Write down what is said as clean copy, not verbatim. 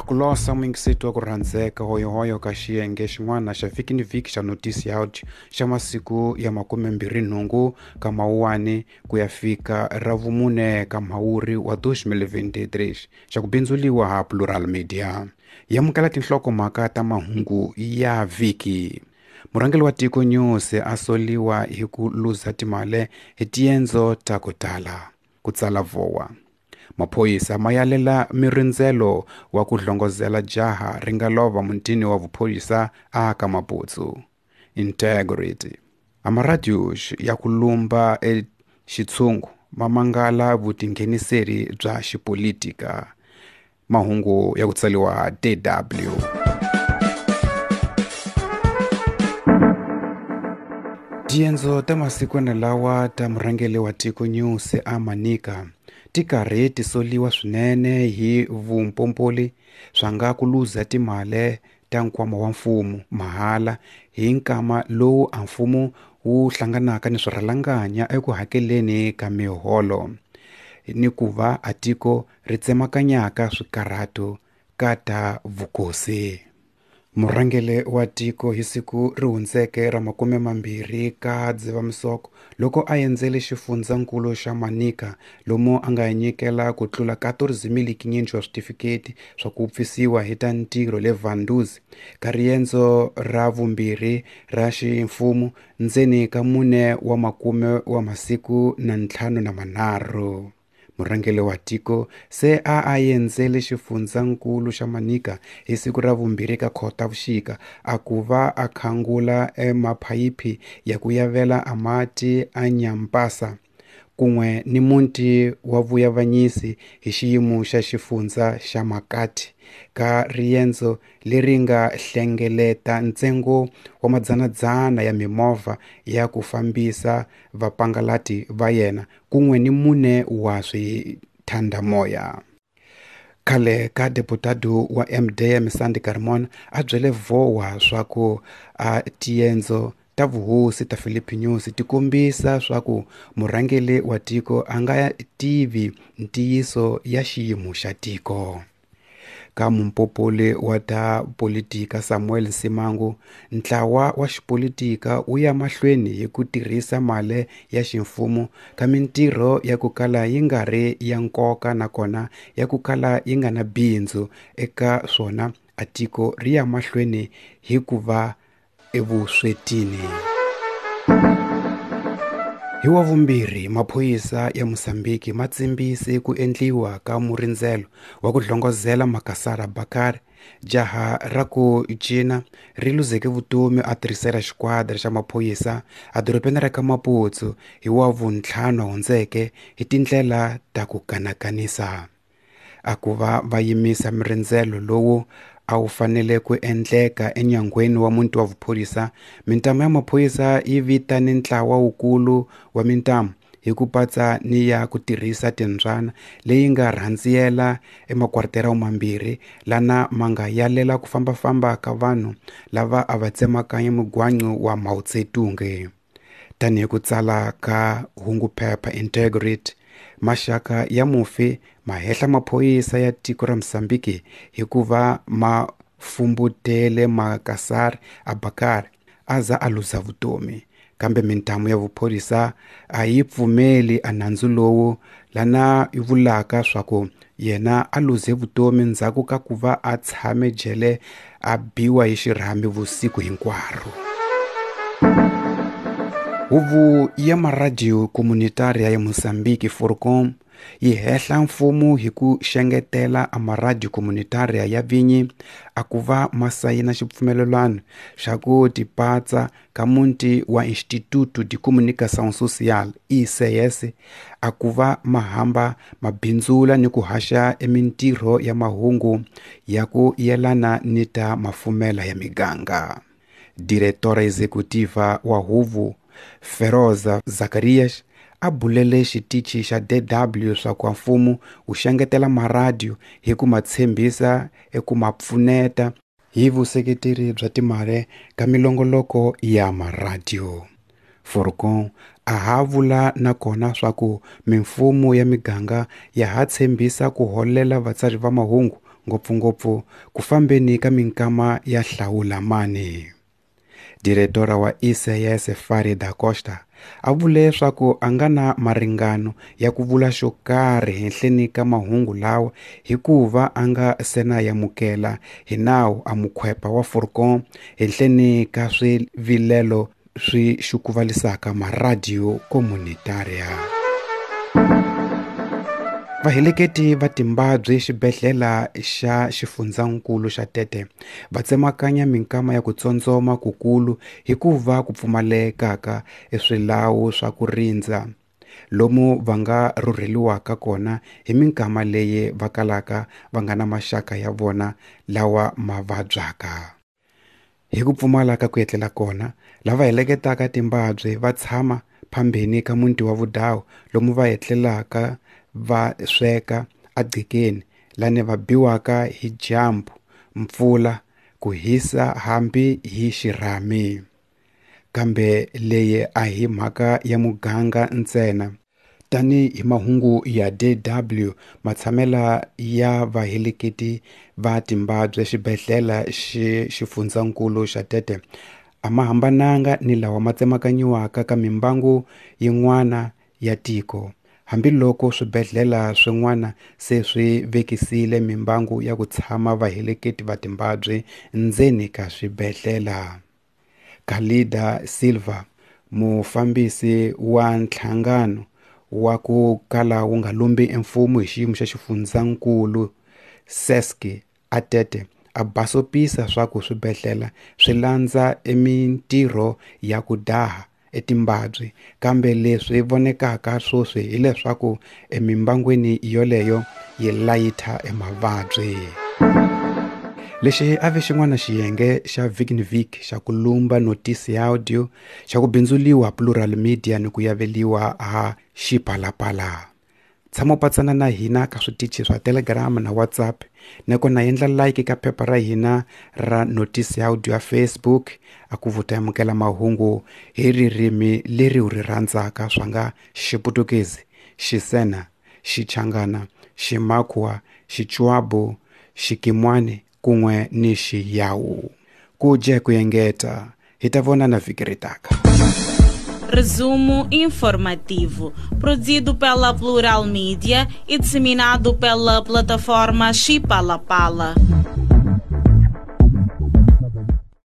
Akulosa muyingiseti wa ku rhandzeka hoyohoyo ka xiyenge xin'wana xa vhiki ni vhiki xa notisi ya xa masiku ya 28 ka Mawuwani ku ya fika ra vumune ka Mhawuri wa 2023 xa ku bindzuliwa ha Plural Media. Yamukela tinhlokomhaka ta mahungu ya vhiki. Murhangeri wa tiko Nyusi a soliwa hi ku luza timali hi tiendzo ta ku tala, ku tsala Vowa. Maphorisa ma yalela mirindzelo wa ku hlongozela jaha ri nga lova mutini wa vuphorisa a ka Maputsu. Integrity. Amaradios ya ku lumba exitshungu ma mangala vutingheniseri bya xipolitika. Mahungu ya ku tsariwa DW. Tiendzo ta masikwana lawa ta murhangeri wa tiko Nyusi a Manica ti karhi ti soliwa swinene hi vumpompoli swa nga ku luza timali ta nkwama wa mfumo mahala hi nkama lowu a mfumo wu hlanganaka ni swirhalanganya eku hakeleni ka miholo ni ku va a tiko ri tsemakanyaka swikarhato ka ta vukosi. Murhangeri wa tiko hi siku ri hundzeke ra 20 ka Dzivamisoko loko a endzele xifundzankulu xa Manica lomu a nga nyikela ku tlula 14,500 wa switifiketi swa ku pfisiwa hi ta ntirho le Vanduzi ka riendzo ra vumbirhi ra ximfumo ndzeni ka 4 wa makume wa masiku na 53. Murhangeri wa tiko se a endzele xifundzankulu xa Manica hi siku ra vumbirhi ka Khotavuxika a ku va a khangula emaphayiphi ya ku yavela amati a Nyampasa kun'we ni muti wa vuyavanyisi hi xiyimo xa xifundza xa Makati ka riendzo leri nga hlengeleta ntsengo wa madzanadzana ya mimovha ya ku fambisa vapangalati va yena kun'we ni 4 wa swithandamoya. Khale ka deputado wa MDM Sandy Carmona a byele Vowa swa ku a tiendzo ta vuhosi ta Filipe Nyusi ti kombisa swa ku murhangeri wa tiko a nga tivi ntiyiso ya xiyimo xa tiko. Ka mumpopoli wa ta politika Samuel Simango, ntlawa wa xipolitika wu ya mahlweni hi ku tirhisa mali ya ximfumo ka mintirho ya ku kala yi nga ri ya nkoka nakona ya ku kala yi nga na bindzu eka swona a tiko ri ya mahlweni hi ku va evuswetini. Hi wa vumbirhi, maphorisa ya Mozambique ma tsimbise ku endliwa ka murindzelo wa ku hlongozela Makasara Bakari, jaha ra ku cina ri luzeke vutomi a tirhisela xikwadi xa maphorisa a dorobeni ra ka Maputo hi wa vuntlhanu hundzeke hi tindlela ta ku kanakanisa. A ku va va yimisa mirindzelo lowu a wu fanele ku endleka enyangweni wa muti wa vuphorisa, mintamu ya maphorisa yi vitane ntlawa wukulu wa mintamu hi ku patsa ni ya ku tirhisa timbyana leyi nga rhandziyela emakwariterao mambirhi lana ma nga yalela ku fambafamba ka vanhu lava a va tsemakanya mugwancu wa Mao Tse-tung. Tanihi ku tsala ka hunguphepha Integrity, maxaka ya mufi ma hehla maphorisa ya tiko ra Mozambique hikuva ma fumbutele Makasari Abakari a za a luza vutomi, kambe mintamu ya vuphorisa a yi pfumeli a nandzu lowu lana yi vulaka swa ku yena a luze vutomi ndzhaku ka ku va a tshame jele a biwa hi xirhami vusiku hinkwaro. Huvo ya maradiyo komunitaria ya Mozambique Forcom yi hehla mfumo hi ku xengetela a maradiyo komunitaria ya vinyi a ku va ma sayina xipfumelelwano xa ku tipatsa ka muti wa Instituto de Comunicação Social ICS a ku va ma hamba mabindzula ni ku haxa emintirho ya mahungu ya ku yelana ni ta mafumela ya miganga. Diretora executiva wa huvo Feroza Zacarias a bulele xitichi xa DW swa ku mfumo wu xengetela maradiyo hi ku ma tshembisa eku ma pfuneta hi vuseketeri bya timali ka milongoloko ya maradiyo. Forcon a ha vula nakona swa ku mimfumo ya miganga ya ha tshembisa ku holela vatsari va mahungu ngopfungopfu ku fambeni ka minkama ya hlawula mani. Diretora wa ICS Fari da Costa a vule swaku a nga na maringano ya ku vula xo karhi henhleni ka mahungu lawa hikuva a nga se na yamukela hi nawu a mukhwepa wa Furcon henhleni ka swivilelo swi xukuvalisaka maradiyo komunitaria. Vaheleketi va timbabyi xibedhlele xa xifundzankulu xa Tete va tsemakanya minkama ya ku tsondzoma kukulu hikuva ku pfumalekaka eswilawu swa ku rindza lomu va nga rhurheliwaka kona hi minkama leyi va kalaka va nga na maxaka ya vona lawa ma vabyaka. Hi ku pfumala ka ku etlela kona, lava heleketaka timbabyi va tshama phambeni ka muti wa vudawu lomu va etlelaka va sweka agqikeni lani va biwaka hi dyambu, mpfula, ku hisa hambi hi xirhami. Kambe leyi a hi mhaka ya muganga ntsena. Tanihi mahungu ya DW matshamela ya vaheleketi va timbabyi xibedhlele xifundzankulu xa Tete a ma hambananga ni lawa ma tsemakanyiwaka ka mimbangu yin'wana ya tiko. Hambiloko swibedhlele swin'wana se swi vekisile mimbangu ya ku tshama vaheleketi va timbabyi ndzeni ka swibedhlele. Khalida Silva, mufambisi wa nhlangano wa ku kala wu nga lumbi emfumo hi xiyimo xa xifundzankulu SESC a Tete a basopisa swa ku swibedhlele swi landza emintirho ya ku daha etimbabyi kambe leswi vonekaka sweswi hileswaku emimbangwini yoleyo yi layitha emavabyi. Lexi a ve xin'wana xiyenge xa vhiki ni vhiki xa ku lumba notisi ya audio xa ku bindzuliwa Plural Media ni ku yaveliwa ha Xipalapala. Tshama u patsana na hina ka switichi swa Telegram na WhatsApp nakona endla like ka phepha ra hina ra notisi ya audio ya Facebook a ku vuta amukela mahungu hi ririmi leri u ri rhandzaka swa nga Xiputukezi, Xisena, Xichangana, Ximakwa, Xichwabu, Xikimwani kun'we ni Xiyawu. Ku dye ku engeta hi ta vonana vhiki ri taka. Resumo informativo, produzido pela Plural Mídia e disseminado pela plataforma Xipalapala.